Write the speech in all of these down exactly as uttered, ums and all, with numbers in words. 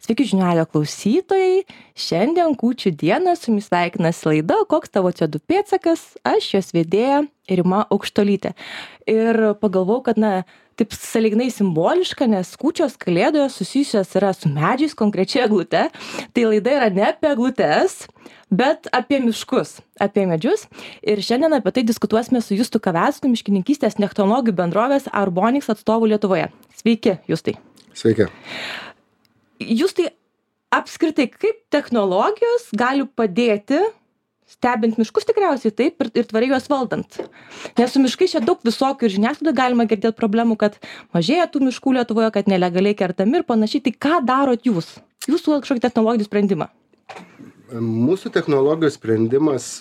Sveiki žinių radijo klausytojai. Šiandien kūčių dieną su jumis sveikinasi laida Koks tavo C O du pėdsakas? Aš jos vedėja Rima Aukštuolytė. Ir pagalvojau, kad na, taip sąlyginai simboliška, nes kūčios kalėdos susijusios yra su medžiais, konkrečiai eglute. Tai laida yra ne apie eglutes, bet apie miškus, apie medžius. Ir šiandien apie tai diskutuosime su Justu Kavecku, miškininkystės technologijų bendrovės Arbonix atstovu Lietuvoje. Sveiki, Justai. Sveiki. Justai, apskritai, kaip technologijos gali padėti stebint miškus tikriausiai taip ir, ir tvariai juos valdant? Nes su miškai čia daug visokių ir žiniasklaidoje galima girdėti problemų, kad mažėja tų miškų Lietuvoje, kad nelegaliai kertami ir panašiai. Tai ką darot jūs? Jūsų kažkokį technologinį sprendimą? Mūsų technologijos sprendimas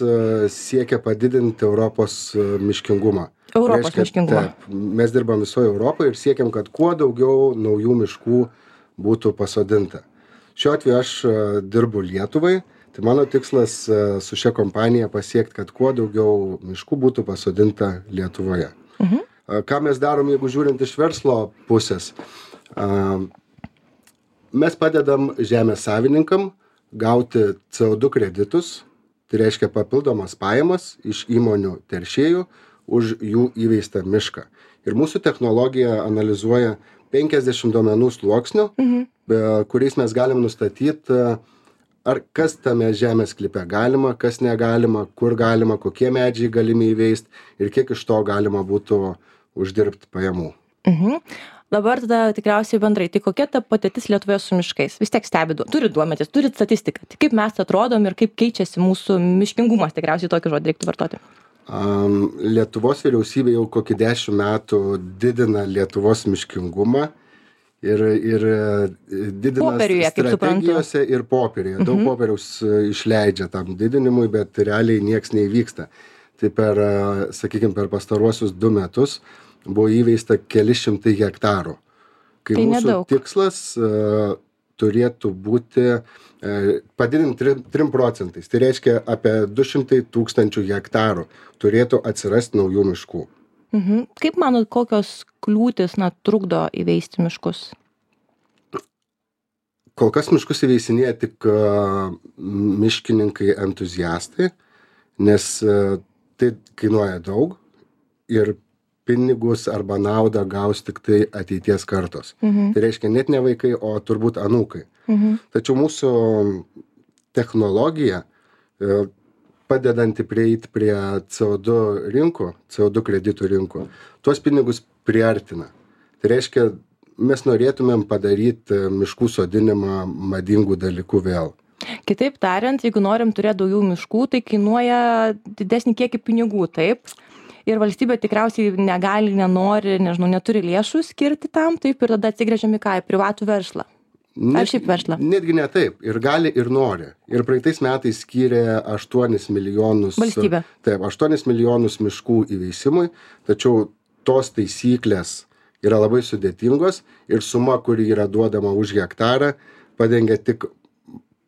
siekia padidinti Europos miškingumą. Europos Reiškia, miškingumą. Taip, mes dirbam visoje Europoje ir siekiam, kad kuo daugiau naujų miškų būtų pasodinta. Šiuo atveju aš dirbu Lietuvai, tai mano tikslas su šia kompanija pasiekti, kad kuo daugiau miškų būtų pasodinta Lietuvoje. Mhm. Ką mes darom, jeigu žiūrint iš verslo pusės? Mes padedam žemės savininkam gauti C O du kreditus, tai reiškia papildomas pajamas iš įmonių teršėjų už jų įveistą mišką. Ir mūsų technologija analizuoja penkiasdešimt duomenų sluoksnių, Mhm. kuriais mes galim nustatyti, ar kas tame žemės sklype galima, kas negalima, kur galima, kokie medžiai galimi įveisti ir kiek iš to galima būtų uždirbti pajamų. Mhm. Dabar tada tikriausiai bendrai, tai kokia ta patirtis Lietuvoje su miškais? Vis tiek stebi, turit duomenis, turit statistiką. Tai kaip mes atrodom ir kaip keičiasi mūsų miškingumas, tikriausiai tokį žodį reiktų vartoti. Um, Lietuvos vyriausybė jau kokį dešimt metų didina Lietuvos miškingumą ir, ir didina Popieriuje, kaip suprantu. strategijose ir popieriuje. Daug Mhm. popieriaus išleidžia tam didinimui, bet realiai nieks neįvyksta. Tai per, sakykime, per pastaruosius du metus buvo įveista keli šimtai hektarų. Kai Tai mūsų nedaug. tikslas uh, turėtų būti uh, padidinti trim, trim procentais. Tai reiškia apie du šimtai tūkstančių hektarų turėtų atsirasti naujų miškų. Mhm. Kaip manot, kokios kliūtis na, trukdo įveisti miškus? Kol kas miškus įveisinėja tik uh, miškininkai entuziastai, nes uh, tai kainuoja daug ir pinigus arba naudą gaus tik tai ateities kartos. Mhm. Tai reiškia net ne vaikai, o turbūt anūkai. Mhm. Tačiau mūsų technologija, e, padedanti prieiti prie C O du rinkų, C O du kreditų rinkų, tuos pinigus priartina. Tai reiškia, mes norėtumėm padaryti miškų sodinimą madingų dalykų vėl. Kitaip tariant, jeigu norim turėti daugiau miškų, tai kainuoja didesnį kiekį pinigų, taip? Ir valstybė tikriausiai negali, nenori, nežinau, neturi lėšų skirti tam, taip, ir tada atsigręžiam į ką, į privatų verslą. Ar šiaip verslą? Netgi ne taip. Ir gali, ir nori. Ir praeitais metais skyrė aštuonis milijonus. Valstybė. Taip, aštuonis milijonus miškų įveisimui, tačiau tos taisyklės yra labai sudėtingos ir suma, kuri yra duodama už hektarą, padengia tik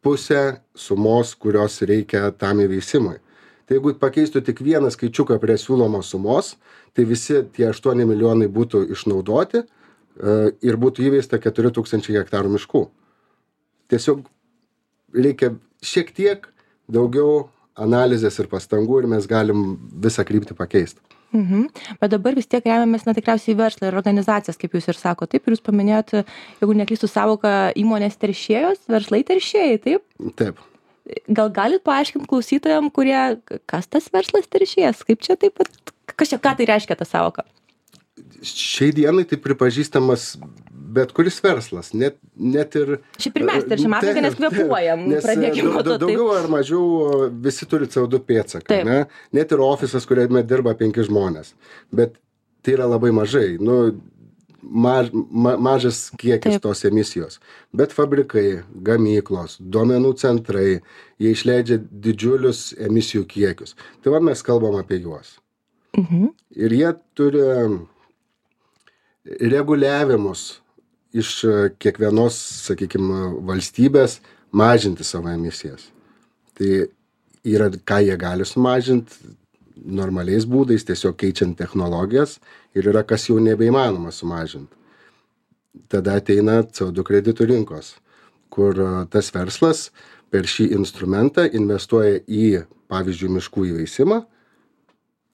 pusę sumos, kurios reikia tam įveisimui. Tai jeigu pakeistų tik vieną skaičiuką prie siūlomos sumos, tai visi tie aštuoni milijonai būtų išnaudoti uh, ir būtų įveista keturi tūkstančiai hektarų miškų. Tiesiog reikia šiek tiek daugiau analizės ir pastangų ir mes galim visą kryptį pakeisti. Mhm. Bet dabar vis tiek remiamės, na, tikriausiai verslą ir organizacijas, kaip jūs ir sako. Taip, ir jūs paminėjot, jeigu neklystų savoką, įmonės teršėjos, verslai teršėjai, taip? Taip. Gal galit paaiškinti klausytojams, kurie, kas tas verslas teršėjas, kaip čia taip pat, kas čia, ką tai reiškia ta savoka? Šiai dienai tai pripažįstamas bet kuris verslas, net, net ir... Šiaip ir mes teršiam aplinką, nes kvėpuojam, pradėkime nuo to. Daugiau ar mažiau visi turi C O du pėdsaką, ne? Net ir ofisas, kuriame dirba penki žmonės. Bet tai yra labai mažai, nu, maž, ma, mažas kiekis Taip. tos emisijos. Bet fabrikai, gamyklos, duomenų centrai, jie išleidžia didžiulius emisijų kiekius. Tai va mes kalbam apie juos. Mhm. Ir jie turi reguliavimus iš kiekvienos, sakykime, valstybės mažinti savo emisijas. Tai yra, ką jie gali sumažinti normaliais būdais, tiesiog keičiant technologijas, ir yra, kas jau nebeįmanoma sumažinti. Tada ateina C O du kreditų rinkos, kur tas verslas per šį instrumentą investuoja į, pavyzdžiui, miškų įveisimą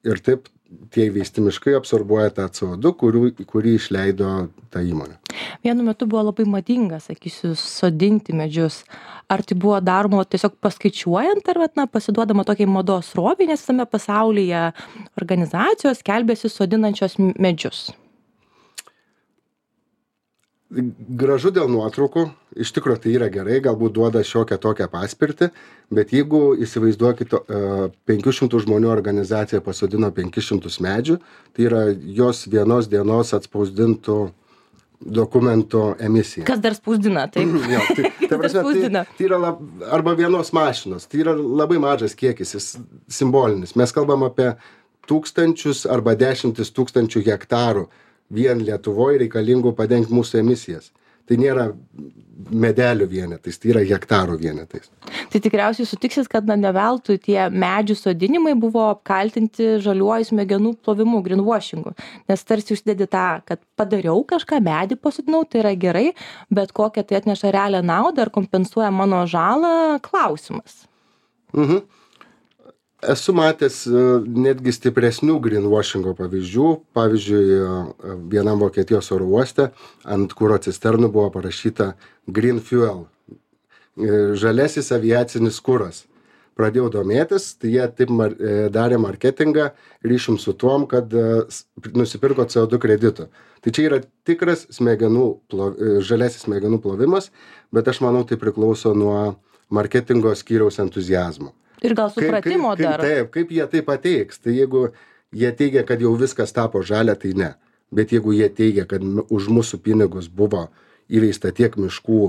ir taip tie įveisti miškai absorbuoja tą C O du, kurių, kurį išleido ta įmonė. Vienu metu buvo labai madinga, sakysiu, sodinti medžius. Ar tai buvo daroma tiesiog paskaičiuojant, ar na, pasiduodama tokiai mados srovei, nes visame pasaulyje organizacijos skelbėsi sodinančios medžius? Gražu dėl nuotraukų, iš tikrųjų tai yra gerai, galbūt duoda šiokią tokią paspirtį, bet jeigu įsivaizduokite, penkių šimtų žmonių organizacija pasodino penkis šimtus medžių, tai yra jos vienos dienos atspausdintų dokumento emisija. Kas dar spausdina, taip? Jo, tai, tai, prasme, tai, tai yra lab, arba vienos mašinos, tai yra labai mažas kiekis, jis simbolinis. Mes kalbam apie tūkstančius arba dešimtis tūkstančių hektarų vien Lietuvoje reikalingų padengti mūsų emisijas. Tai nėra medelių vienetais, tai yra hektarų vienetais. Tai tikriausiai sutiksit, kad na, ne veltui tie medžių sodinimai buvo apkaltinti žaliuoju smegenų plovimu, greenwashingu. Nes tarsi užsidedi tą, kad padariau kažką, medį pasodinau, tai yra gerai, bet kokią tai atneša realią naudą ar kompensuoja mano žalą, klausimas. Mhm. Esu matęs netgi stipresnių greenwashingo pavyzdžių. Pavyzdžiui, vienam Vokietijos oro uoste ant kuro cisternų buvo parašyta Green Fuel, žalesis aviacinis kuras. Pradėjau domėtis, tai jie taip mar, darė marketingą ryšium su tuom, kad nusipirko C O du kreditų. Tai čia yra tikras smegenų, plov, žalesis smegenų plovimas, bet aš manau, tai priklauso nuo marketingo skyriaus entuzijazmo. Ir gal supratimo kaip, kaip, dar. Taip, kaip jie tai pateiks. Tai jeigu jie teigia, kad jau viskas tapo žalia, tai ne. Bet jeigu jie teigia, kad už mūsų pinigus buvo įveista tiek miškų,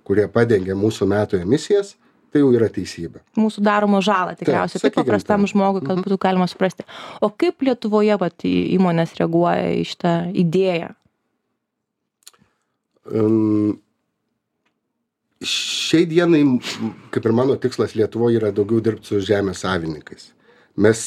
kurie padengia mūsų metų emisijas, tai jau yra teisybė. Mūsų daroma žalą tikriausiai, taip, taip paprastam žmogui, kad būtų galima suprasti. O kaip Lietuvoje vat, įmonės reaguoja į šitą idėją? Um, Šiai dienai, kaip ir mano tikslas Lietuvoje, yra daugiau dirbti su žemės savininkais. Mes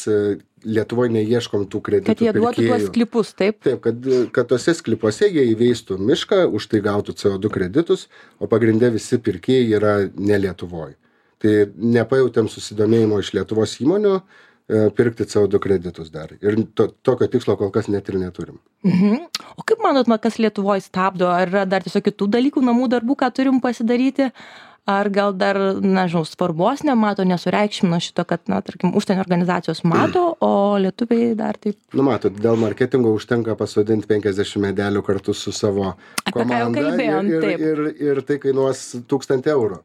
Lietuvoje neieškom tų kreditų pirkėjų. Kad jie duotų tuos sklypus, taip? Taip, kad, kad tose sklypuose jie įveistų mišką, už tai gautų C O du kreditus, o pagrinde visi pirkėjai yra ne Lietuvoje. Tai nepajautėm susidomėjimo iš Lietuvos įmonių pirkti C O du kreditus dar. Ir to, tokio tikslo kol kas net ir neturim. Mhm. O kaip manot, kas Lietuvoje stabdo? Ar yra dar tiesiog kitų dalykų, namų darbų, ką turim pasidaryti? Ar gal dar, nežinau, svarbos nemato, nesureikšmino šito, kad, na, tarkim, užsienio organizacijos mato, o lietuviai dar taip... Nu, matot, dėl marketingo užtenka pasodinti penkiasdešimt medelių kartu su savo komanda. Apie ką jau kalbėjom, ir, taip. Ir, ir, ir tai kainuos tūkstantį eurų.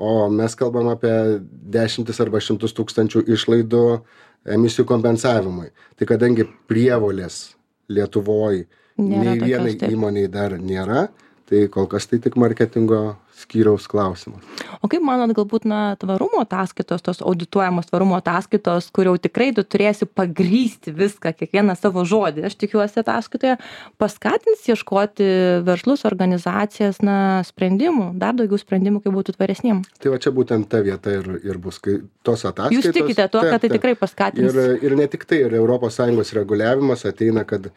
O mes kalbam apie dešimtis arba šimtus tūkstančių išlaidų emisijų kompensavimui. Tai kadangi prievolės Lietuvoje nei vienai įmoniai dar nėra, tai kol kas tai tik marketingo skyriaus klausimas. O kaip manot, galbūt, na, tvarumo ataskaitos, tos audituojamos tvarumo ataskaitos, kur jau tikrai tu turėsi pagrysti viską, kiekvieną savo žodį, aš tikiuosi ataskaitoje, paskatins ieškoti verslus, organizacijas, na, sprendimų, dar daugiau sprendimų, kaip būtų tvaresniem. Tai va čia būtent ta vieta ir, ir bus, kai tos ataskaitos... Jūs tikite tuo, kad tai tikrai paskatins? Ir, ir ne tik tai, ir Europos Sąjungos reguliavimas ateina, kad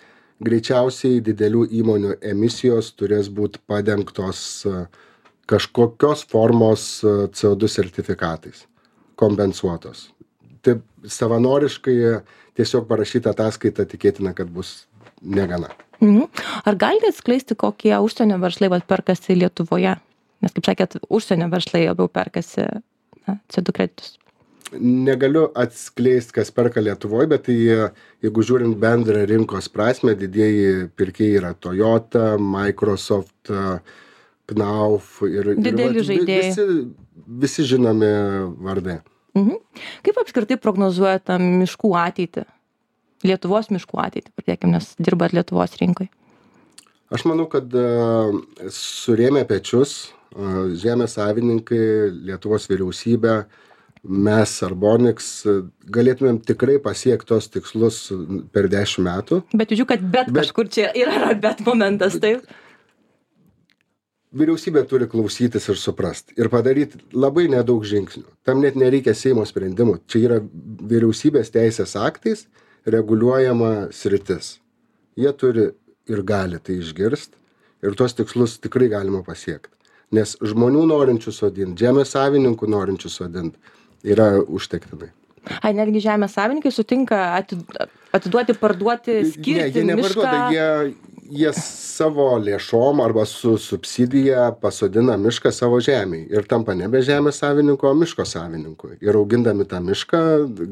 greičiausiai didelių įmonių emisijos turės būti padengtos kažkokios formos C O du sertifikatais, kompensuotos. Taip savanoriškai tiesiog parašyta ataskaita tikėtina, kad bus negana. Mhm. Ar galite atskleisti, kokie užsienio verslai vat, perkasi Lietuvoje? Nes, kaip sakėt, užsienio verslai labiau perkasi na, C O du kreditus. Negaliu atskleisti, kas perka Lietuvoje, bet tai, jeigu žiūrint bendrą rinkos prasme, didieji pirkėjai yra Toyota, Microsoft, Knauf ir, dideli ir žaidėjai. Visi, visi žinomi vardai. Mhm. Kaip apskritai prognozuojate miškų ateitį? Lietuvos miškų ateitį, pradėkime, nes dirbat Lietuvos rinkoje. Aš manau, kad uh, surėmė pečius uh, žemės savininkai, Lietuvos vyriausybė, mes Arbonix galėtumėm tikrai pasiekti tos tikslus per dešimt metų. Bet žiūrėjau, kad bet, bet kažkur čia yra bet momentas, taip? Vyriausybė turi klausytis ir suprasti ir padaryti labai nedaug žingsnių. Tam net nereikia Seimo sprendimų. Čia yra vyriausybės teisės aktais reguliuojama sritis. Jie turi ir gali tai išgirsti ir tuos tikslus tikrai galima pasiekti. nes žmonių norinčių sodint, žemės savininkų norinčių sodint yra užtektinai. Ai, netgi žemės savininkai sutinka atiduoti, parduoti, skirti ne, jie neparduoda, mišką. jie, jie savo lėšom arba su subsidija pasodina mišką savo žemėj ir tampa nebe žemės savininku, o miško savininku. Ir augindami tą mišką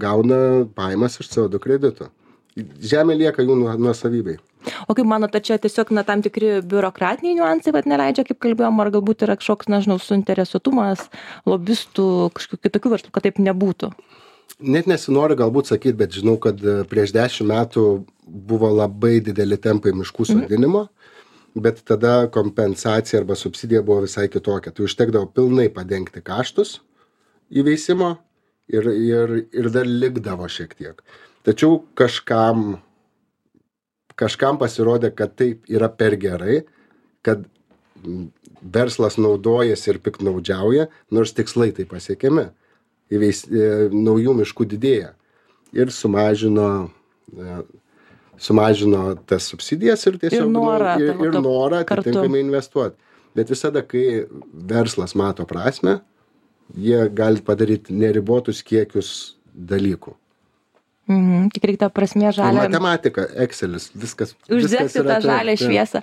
gauna pajamas iš C O du kredito. Žemė lieka jų nuosavybei. O kaip manote, čia tiesiog na, tam tikri biurokratiniai niuansai, bet neleidžia, kaip kalbėjom, ar galbūt yra kažkoks, nežinau, suinteresuotumas, lobistų, kažkokių kitokių verslų, kad taip nebūtų? Net nesinori galbūt sakyti, bet žinau, kad prieš dešimt metų buvo labai dideli tempai miškų sodinimo, mm. bet tada kompensacija arba subsidija buvo visai kitokia. Tai užtekdavo pilnai padengti kaštus įveisimo ir, ir, ir dar likdavo šiek tiek. Tačiau kažkam, kažkam pasirodė, kad taip yra per gerai, kad verslas naudojasi ir piktnaudžiauja, nors tikslai tai pasiekiami. Įveis, e, naujų miškų didėja. Ir sumažino, e, sumažino tas subsidijas ir tiesiog ir norą, ir, ir norą atitinkamai investuoti. Bet visada, kai verslas mato prasme, jie gali padaryti neribotus kiekius dalykų. Mhm, tik reikia prasmė žalę. Matematika, Excelis, viskas. Uždegti tą žalę šviesą.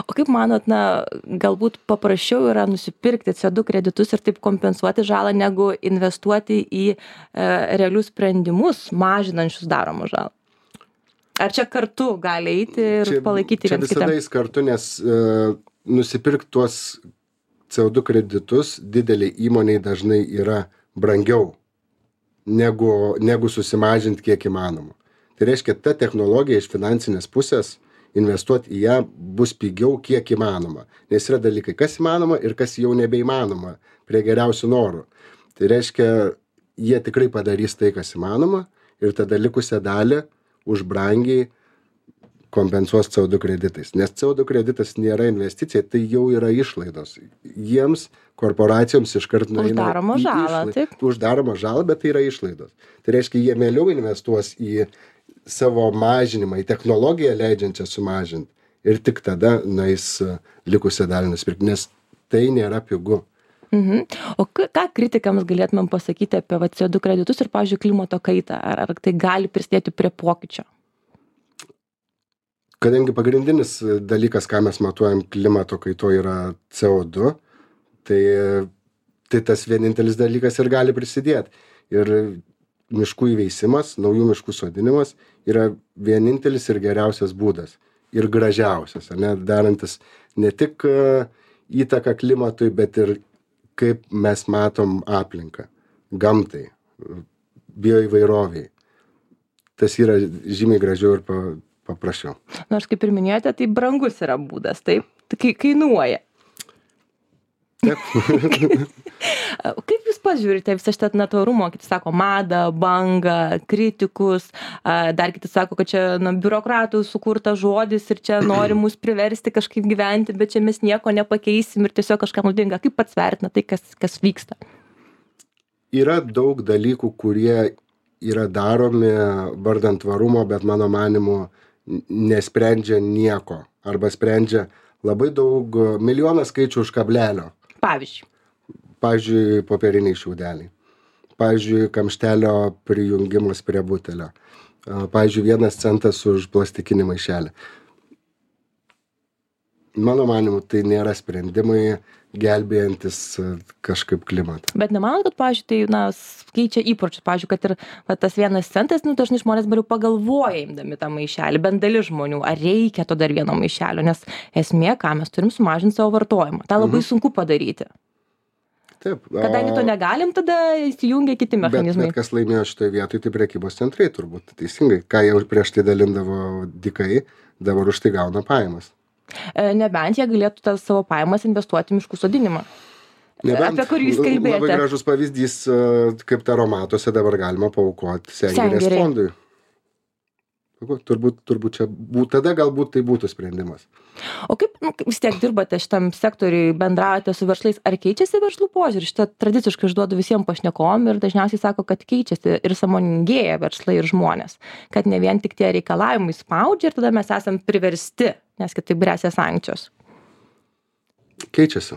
O kaip manot, na, galbūt paprasčiau yra nusipirkti C O du kreditus ir taip kompensuoti žalą, negu investuoti į e, realius sprendimus, mažinančius daromą žalą? Ar čia kartu gali eiti ir čia, palaikyti čia vienas kitą? Čia visada kartu, nes e, nusipirkti tuos C O du kreditus dideliai įmoniai dažnai yra brangiau. Negu, negu susimažinti kiek įmanoma. Tai reiškia, ta technologija iš finansinės pusės, investuoti į ją bus pigiau kiek įmanoma. Nes yra dalykai, kas įmanoma ir kas jau nebeįmanoma prie geriausių norų. Tai reiškia, jie tikrai padarys tai, kas įmanoma ir tada likusią dalį už brangiai kompensuos C O du kreditais. Nes C O du kreditas nėra investicija, tai jau yra išlaidos. Jiems, korporacijoms iškart nueina uždaroma žalą, taip. Uždaroma žalą, bet tai yra išlaidos. Tai reiškia, jie mieliau investuos į savo mažinimą, į technologiją leidžiančią sumažinti ir tik tada nueis likusią dalį nusipirkti, nes tai nėra pigu. Mhm. O ką kritikams galėtumėm pasakyti apie C O du kreditus ir, pavyzdžiui, klimato kaitą? Ar, ar tai gali prisidėti prie pokyčio? Kadangi pagrindinis dalykas, ką mes matuojam klimato kaito, yra C O du, tai, tai tas vienintelis dalykas ir gali prisidėti. Ir miškų įveisimas, naujų miškų sodinimas yra vienintelis ir geriausias būdas. Ir gražiausias, ne, darantis ne tik įtaką klimatui, bet ir kaip mes matom aplinką, gamtai, bioįvairoviai. Tas yra žymiai gražiau ir pa, paprasčiau. Nors, kaip ir minėjote, tai brangus yra būdas, taip? Tai kainuoja. Taip. Kaip jūs pažiūrite visą šitą natūrumo, kiti sako, madą, bangą, kritikus, dar kiti sako, kad čia na, biurokratų sukurtas žodis ir čia nori mus priversti kažkaip gyventi, bet čia mes nieko nepakeisim ir tiesiog kažkam naudinga. Kaip pats vertina tai, kas, kas vyksta? Yra daug dalykų, kurie yra daromi vardant tvarumo, bet mano manimu nesprendžia nieko. Arba sprendžia labai daug, milijoną skaičių už kablelio. Pavyzdžiui. Pavyzdžiui, popieriniai šiaudeliai. Pavyzdžiui, kamštelio prijungimas prie butelio. Pavyzdžiui, vienas centas už plastikinį maišelį. Mano manimu, tai nėra sprendimai gelbėjantis kažkaip klimatą. Bet nemanot, kad, pavyzdžiui, tai na, keičia įpročius, pavyzdžiui, kad ir va, tas vienas centas, nu, dažnai žmonės bariau pagalvoja imdami tą maišelį, bent dalis žmonių, ar reikia to dar vieno maišelio, nes esmė, ką mes turim sumažinti savo vartojimą. Ta labai mhm. sunku padaryti. Taip. O... Kadangi to negalim, tada įsijungia kiti mechanizmai. Bet, bet kas laimėjo šitoje vietoje, tai prekybos centrai turbūt teisingai. Ką jau prieš tai dalindavo dykai, dabar už tai gauna pajamas. Nebent jie galėtų tas savo pajamas investuoti į miškų sodinimą. Nebent, apie kurį jūs kalbėjote. Labai gražus pavyzdys, kaip taromatuose dabar galima paaukoti sengirės fondui. Turbūt, turbūt čia būt, tada galbūt tai būtų sprendimas. O kaip nu, vis tiek dirbate šitam sektoriui, bendraujate su verslais, ar keičiasi verslų požiūrį? Šitą tradiciškai išduodu visiems pašnekom ir dažniausiai sako, kad keičiasi ir sąmoningėja verslai ir žmonės. Kad ne vien tik tie reikalavimai spaudžia ir tada mes esam priversti, nes kitaip grėsia sankcijos. Keičiasi.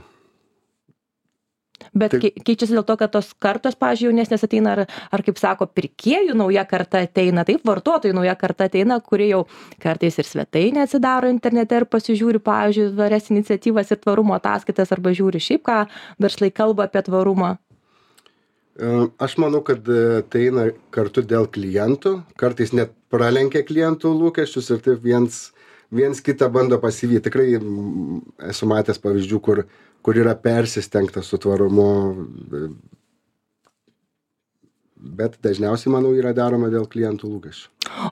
Bet Tai- kei- keičiasi dėl to, kad tos kartos, pavyzdžiui, jaunesnės ateina, ar, ar kaip sako, pirkėjų nauja karta ateina, taip, vartotojų nauja karta ateina, kurie jau kartais ir svetainę atsidaro internete ir pasižiūri, pavyzdžiui, tvarias iniciatyvas ir tvarumo ataskaitas, arba žiūri šiaip, ką verslai kalba apie tvarumą. E, Aš manau, kad e, tai eina kartu dėl klientų, kartais net pralenkia klientų lūkesčius ir taip viens, viens kitą bando pasivyti. Tikrai mm, esu matęs pavyzdžių, kur, kur yra persistengta su tvarumu, e, bet dažniausiai, manau, yra daroma dėl klientų lūkesčių.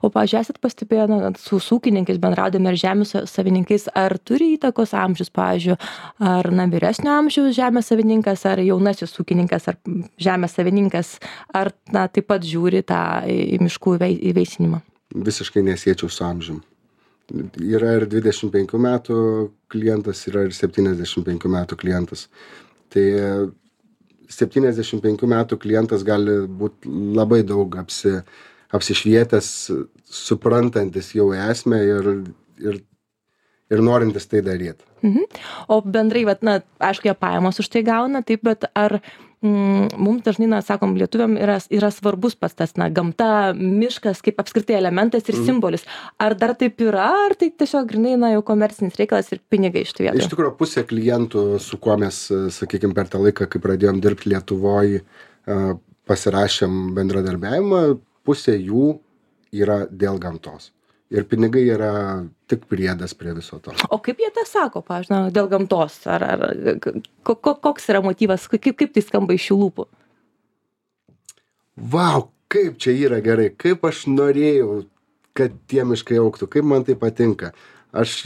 O, pavyzdžiui, esat pastebėję, na, su ūkininkais bendraudami ar žemės savininkais, ar turi įtakos amžius, pavyzdžiui, ar na, vyresnio amžiaus žemės savininkas, ar jaunasis ūkininkas, ar žemės savininkas, ar na, taip pat žiūri tą į miškų įvei- įveisinimą? Visiškai nesiečiau su amžium. Yra ir dvidešimt penkių metų klientas, yra ir septyniasdešimt penkių metų klientas. Tai septyniasdešimt penkių metų klientas gali būti labai daug apsi, apsišvietęs, suprantantis jau esmę ir, ir, ir norintis tai daryti. Mhm. O bendrai, vat, na, aišku, jie pajamos už tai gauna, taip, bet ar mm, mums dažnai, na, sakom, lietuviam yra, yra svarbus pas tas, na, gamta, miškas kaip apskritai elementas ir Mhm. simbolis. Ar dar taip yra, ar tai tiesiog grinai, na, jau komercinis reikalas ir pinigai iš tų Iš vietų? tikrųjų, pusė klientų, su kuo mes, sakykime, per tą laiką, kai pradėjom dirbti Lietuvoje, pasirašėm bendradarbiavimą, pusė jų yra dėl gamtos. Ir pinigai yra tik priedas prie viso to. O kaip jie tą sako, pavyzdžiui, na, dėl gamtos? Ar, ar ko, ko, koks yra motyvas, kaip, kaip tai skamba iš jų lūpų? Vau, kaip čia yra gerai, kaip aš norėjau, kad tie miškai augtų, kaip man tai patinka. Aš,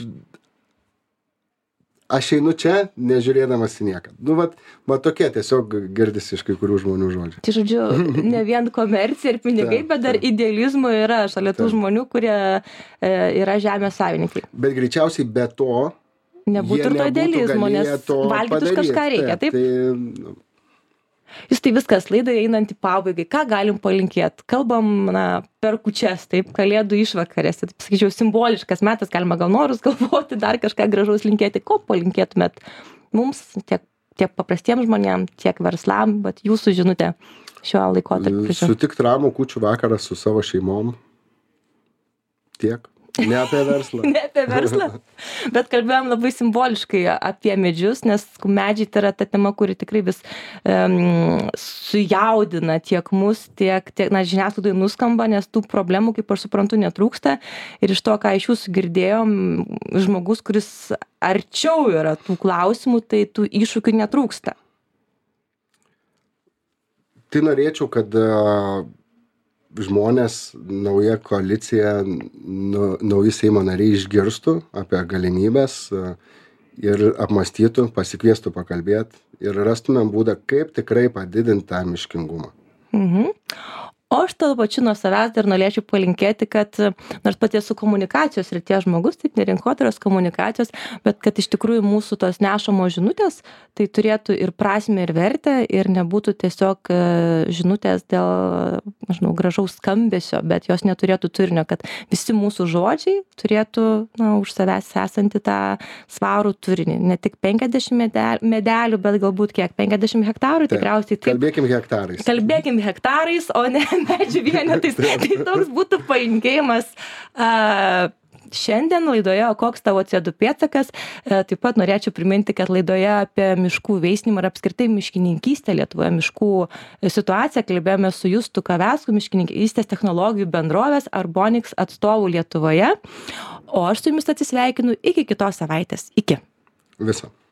aš einu čia, nežiūrėdamas į nieką. Nu, vat, va tokie tiesiog girdisi iš kai kurių žmonių žodžių. Tai žodžiu, ne vien komercija ir pinigai, Taip, bet dar taip. idealizmo yra šalia tų Taip. žmonių, kurie e, yra žemės savininkai. Bet greičiausiai be to Nebūtų jie ir to nebūtų idealizmo, nes galėję to valgyti už padaryt. kažką reikia, taip? Tai, nu, Jūs tai viskas, laidai einant į pabaigai, ką galim palinkėti? Kalbam, na, per kūčias, taip, kalėdų išvakarėse, taip sakyčiau, simboliškas metas, galima gal norus galvoti, dar kažką gražaus linkėti. Ko palinkėtumėt mums, tiek, tiek paprastiems žmonėms, tiek verslam, bet jūsų žinutė šiuo laikotarpiu? Sutikt ramų kūčių vakarą su savo šeimom. Tiek. Ne apie verslą. Ne apie verslą, bet kalbėjom labai simboliškai apie medžius, nes medžiai tai yra ta tema, kuri tikrai vis um, sujaudina tiek mus, tiek, tiek na, žiniasklaidai nuskamba, nes tų problemų, kaip aš suprantu, netrūksta. Ir iš to, ką iš jūsų girdėjom, žmogus, kuris arčiau yra tų klausimų, tai tų iššūkių netrūksta. Tai norėčiau, kad uh, žmonės, nauja koalicija, nu, nauji Seimo nariai išgirstų apie galimybės uh, ir apmąstytų, pasikviestų pakalbėti ir rastumėm būdą, kaip tikrai padidinti tą miškingumą. Mhm. O aš tada pačiu nuo savęs dar norėčiau palinkėti, kad nors pati esu komunikacijos srities žmogus, taip ne rinkodaros komunikacijos, bet kad iš tikrųjų mūsų tos nešamos žinutės tai turėtų ir prasmę, ir vertę, ir nebūtų tiesiog žinutės dėl, nežinau, gražaus skambesio, bet jos neturėtų turinio, kad visi mūsų žodžiai turėtų, na, už savęs esantį tą svarų turinį. Ne tik penkiasdešimt medelių, bet galbūt kiek, penkiasdešimt hektarų tikriausiai. Taip, kalbėkim hektarais. Kalbėkim hektarais, o ne medžių vienetais. Tai toks būtų palinkėjimas a, šiandien laidoje, o koks tavo C O du pėdsakas. A, taip pat norėčiau priminti, kad laidoje apie miškų veisinimą ir apskritai miškininkystę Lietuvoje, miškų situaciją kalbėjome su Justu Kavecku, miškininkystės technologijų bendrovės Arbonix atstovų Lietuvoje. O aš su jumis atsisveikinu iki kitos savaitės. Iki. Viso.